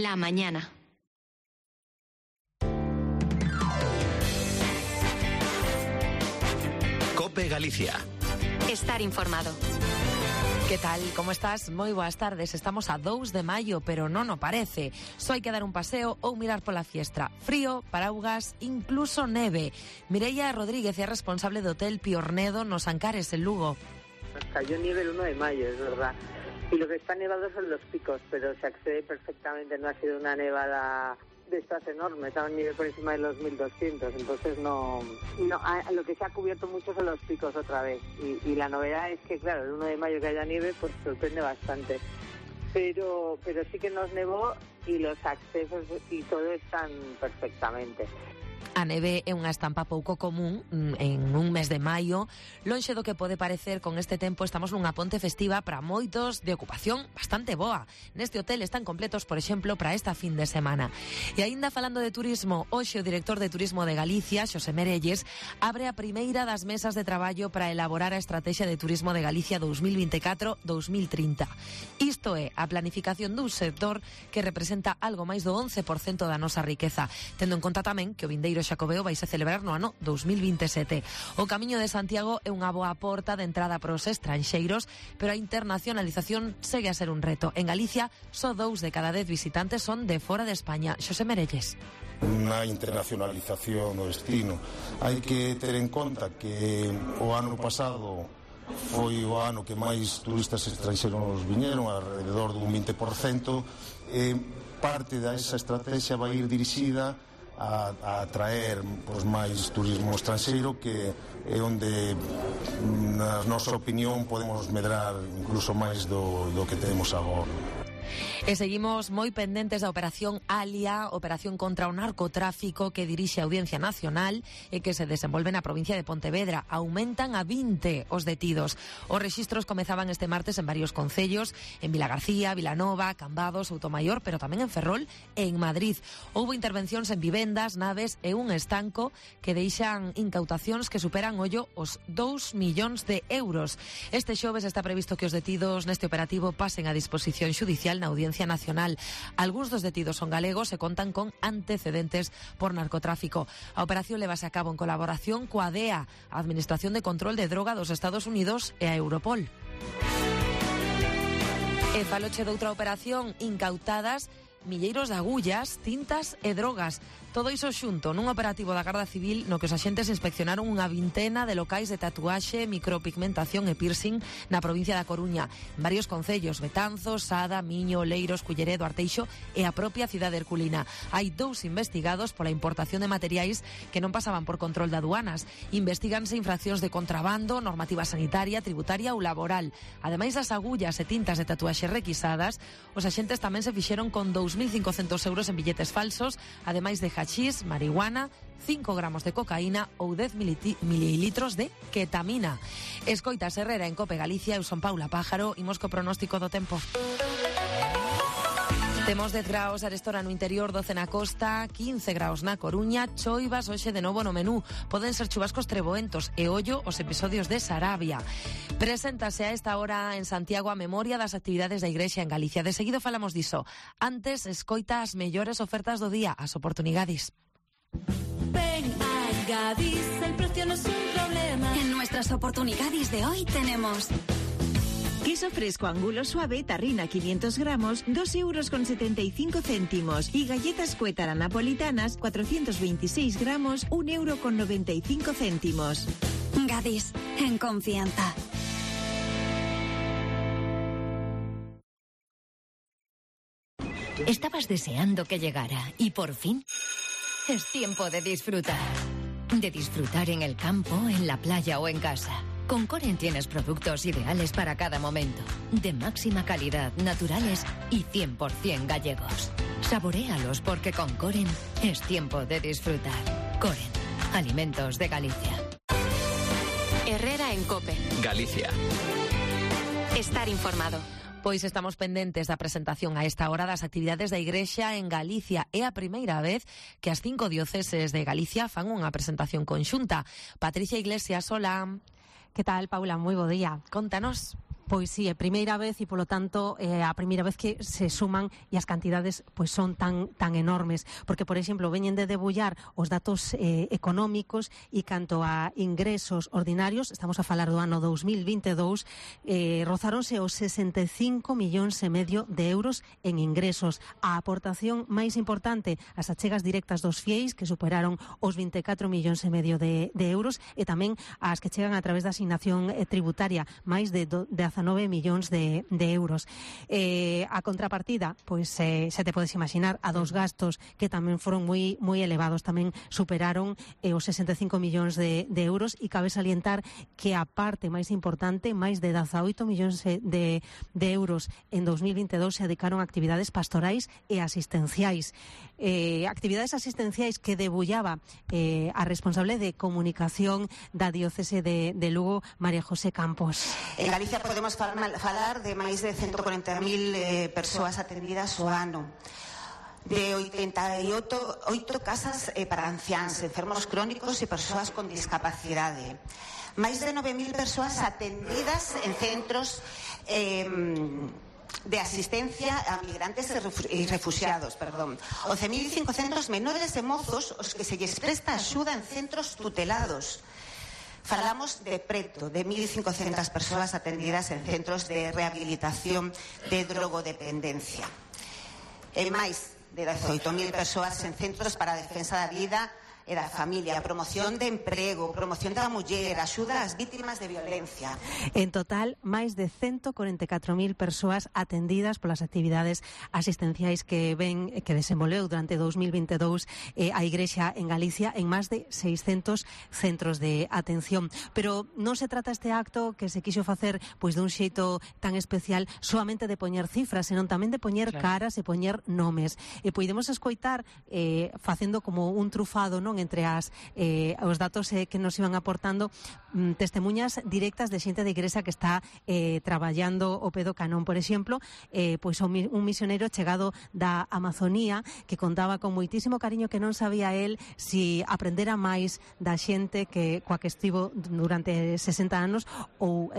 La mañana. COPE Galicia. Estar informado. Que tal? Como estás? Moi boas tardes. Estamos a 2 de maio, pero non o parece. Só hai que dar un paseo ou mirar pola fiestra. Frío, paraugas, incluso neve. Mireia Rodríguez é responsable do Hotel Piornedo nos Ancares, en Lugo. Nos cayó nieve el 1 de mayo, es verdad. Y lo que está nevado son los picos, pero se accede perfectamente. No ha sido una nevada de estas enormes, a un nivel por encima de los 1200, entonces no, lo que se ha cubierto mucho son los picos otra vez, y la novedad es que claro, el 1 de mayo que haya nieve pues sorprende bastante, pero sí que nos nevó y los accesos y todo están perfectamente. A neve é unha estampa pouco común en un mes de maio. Lonxe do que pode parecer, con este tempo estamos nunha ponte festiva para moitos de ocupación bastante boa. Neste hotel están completos, por exemplo, para esta fin de semana. E aínda falando de turismo, hoxe o director de Turismo de Galicia, Xosé Merelles, abre a primeira das mesas de traballo para elaborar a Estrategia de Turismo de Galicia 2024-2030. Isto é a planificación dun sector que representa algo máis do 11% da nosa riqueza, tendo en conta tamén que o vindeiro Xacobeo vai se celebrar no ano 2027. O Camiño de Santiago é unha boa porta de entrada para os estranxeiros, pero a internacionalización segue a ser un reto. En Galicia, só 2 de cada 10 visitantes son de fora de España. Xosé Merelles. Na internacionalización do destino hai que ter en conta que o ano pasado foi o ano que máis turistas estranxeiros viñeron, alrededor dun 20%, e parte desa estrategia vai ir dirixida a atraer máis turismo estranxeiro, que é onde, na nosa opinión, podemos medrar incluso máis do que temos agora. E seguimos moi pendentes da Operación Alia, operación contra o narcotráfico que dirixe a Audiencia Nacional e que se desenvolve na provincia de Pontevedra. Aumentan a 20 os detidos. Os rexistros comezaban este martes en varios concellos, en Vilagarcía, Vilanova, Cambados, Soutomaior, pero tamén en Ferrol e en Madrid. Houbo intervencións en vivendas, naves e un estanco que deixan incautacións que superan os 2 millóns de euros. Este xoves está previsto que os detidos neste operativo pasen a disposición xudicial na Audiencia Nacional. Algúns dos detidos son galegos e contan con antecedentes por narcotráfico. A operación levase a cabo en colaboración coa DEA, a Administración de Control de Droga dos Estados Unidos, e a Europol. E faloche doutra operación, incautadas milleiros de agullas, tintas e drogas. Todo iso xunto nun operativo da Garda Civil no que os axentes inspeccionaron unha vintena de locais de tatuaxe, micropigmentación e piercing na provincia da Coruña. En varios concellos, Betanzos, Sada, Miño, Oleiros, Culleredo, Arteixo e a propia cidade herculina. Hai 2 investigados pola importación de materiais que non pasaban por control de aduanas. Investíganse infraccións de contrabando, normativa sanitaria, tributaria ou laboral. Ademais das agullas e tintas de tatuaxe requisadas, os axentes tamén se fixeron con 2.500 euros en billetes falsos, ademais de hachís, marihuana, 5 gramos de cocaína ou 10 mililitros de ketamina. Escoitas Herrera en COPE Galicia, eu son Paula Pájaro, imos co pronóstico do tempo. Temos 10 graus arestora no interior, 12 na costa, 15 graus na Coruña, choivas hoxe de novo no menú. Poden ser chubascos treboentos e ollo os episodios de Sarabia. Preséntase a esta hora en Santiago a memoria das actividades da Igrexa en Galicia. De seguido falamos diso. Antes, escoita as mellores ofertas do día, as oportunidades. Ven a Gadis, el precio no es un problema. En nuestras oportunidades de hoy tenemos queso fresco angulo suave, tarrina 500 gramos, 2,75 €. Y galletas Cuétara napolitanas, 426 gramos, 1,95 €. Gadis, en confianza. Estabas deseando que llegara y por fin es tiempo de disfrutar. De disfrutar en el campo, en la playa o en casa. Con Coren tienes productos ideales para cada momento, de máxima calidad, naturales y 100% gallegos. Saboréalos porque con Coren es tiempo de disfrutar. Coren, alimentos de Galicia. Herrera en COPE. Galicia. Estar informado. Pois estamos pendentes da presentación a esta hora das actividades da Igrexa en Galicia. É a primeira vez que as 5 dioceses de Galicia fan unha presentación conxunta. Patricia Iglesias, hola. Que tal, Paula? Moi bo día. Contanos. Pois sí, é primeira vez e polo tanto a primeira vez que se suman e as cantidades pois son tan enormes, porque por exemplo veñen de debullar os datos económicos e canto a ingresos ordinarios, estamos a falar do ano 2022, rozáronse os 65 millóns e medio de euros en ingresos. A aportación máis importante, as achegas directas dos fieis, que superaron os 24 millóns e medio de euros, e tamén as que chegan a través da asignación tributaria, máis de 19 millóns de euros. A contrapartida, pois xa te podes imaginar, a dos gastos que tamén foron moi elevados, tamén superaron os 65 millóns de euros, e cabe salientar que a parte máis importante, máis de 18 millóns de euros en 2022 se dedicaron a actividades pastorais e asistenciais. Actividades asistenciais que debullaba a responsable de comunicación da diócese de Lugo, María José Campos. En Galicia podemos falar de máis de 140.000 persoas atendidas ao ano, de 88 casas para anciáns, enfermos crónicos e persoas con discapacidade, máis de 9.000 persoas atendidas en centros de asistencia a migrantes e refugiados, 11.500 menores e mozos os que se lles presta axuda en centros tutelados. Falamos de preto de 1.500 persoas atendidas en centros de rehabilitación de drogodependencia. E máis de 18.000 persoas en centros para a defensa da vida e da familia, promoción de emprego, promoción da muller, axuda ás vítimas de violencia. En total, máis de 144.000 persoas atendidas polas actividades asistenciais que desenvolveu durante 2022 a Igrexa en Galicia en máis de 600 centros de atención. Pero non se trata este acto que se quixo facer pois dun xeito tan especial solamente de poñer cifras, senón tamén de poñer caras e poñer nomes. E podemos escoitar facendo como un trufado, non, entre os datos que nos iban aportando, testemunhas directas de xente de Igrexa que está traballando o pedo canón. Por exemplo, pois un misionero chegado da Amazonía que contaba con moitísimo cariño que non sabía él si aprendera máis da xente coa que estivo durante 60 anos ou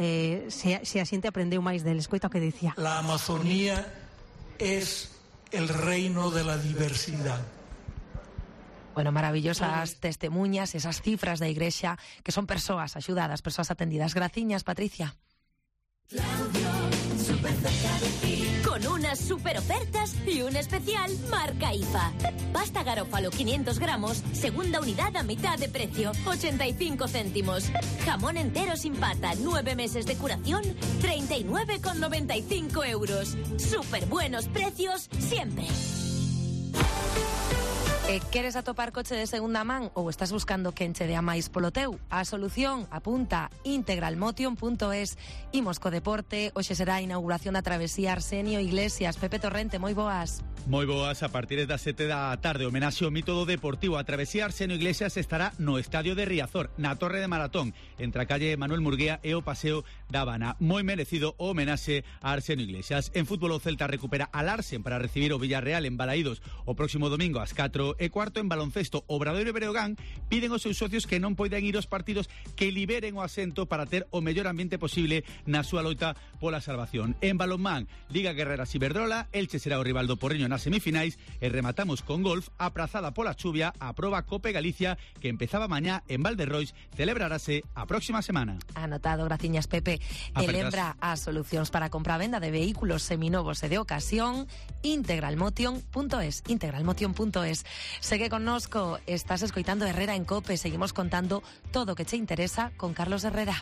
se a xente aprendeu máis del. Escoita o que dicía. La Amazonía es el reino de la diversidad. Bueno, maravillosas testemunhas, esas cifras da Igrexa, que son persoas axudadas, persoas atendidas. Graciñas, Patricia. Con unas super ofertas y un especial marca IFA. Pasta Garofalo 500 gramos, segunda unidad a mitad de precio, 85 céntimos. Jamón entero sin pata, 9 meses de curación, 39,95 euros. Súper buenos precios siempre. Queres atopar coche de segunda man ou estás buscando quen che dea máis polo teu? A solución apunta integralmotion.es. Imos co deporte, hoxe será a inauguración da travesía Arsenio Iglesias. Pepe Torrente, moi boas. Moi boas, a partir das 7 da tarde, homenaxe ao mito do Deportivo. A travesía Arsenio Iglesias estará no Estadio de Riazor, na Torre de Maratón, entre a calle Manuel Murguía e o Paseo da Habana. Moi merecido o homenaxe a Arsenio Iglesias. En fútbol, o Celta recupera a Larsen para recibir o Villarreal en Balaídos o próximo domingo ás 4:15. En baloncesto, Obradoiro e Breogán piden aos seus socios que non poidan ir aos partidos que liberen o asento para ter o mellor ambiente posible na súa loita pola salvación. En balonmán, Liga Guerreras Iberdrola, Elche será o rival do Porriño nas semifinais e rematamos con golf, aprazada pola chuvia, a proba Cope Galicia que empezaba mañá en Valderrois, celebrarase a próxima semana. Anotado, graciñas, Pepe. E lembra as solucións para compra-venda de vehículos seminovos e de ocasión, integralmotion.es. Segue connosco, estás escoitando Herrera en Cope, seguimos contando todo o que che interesa con Carlos Herrera.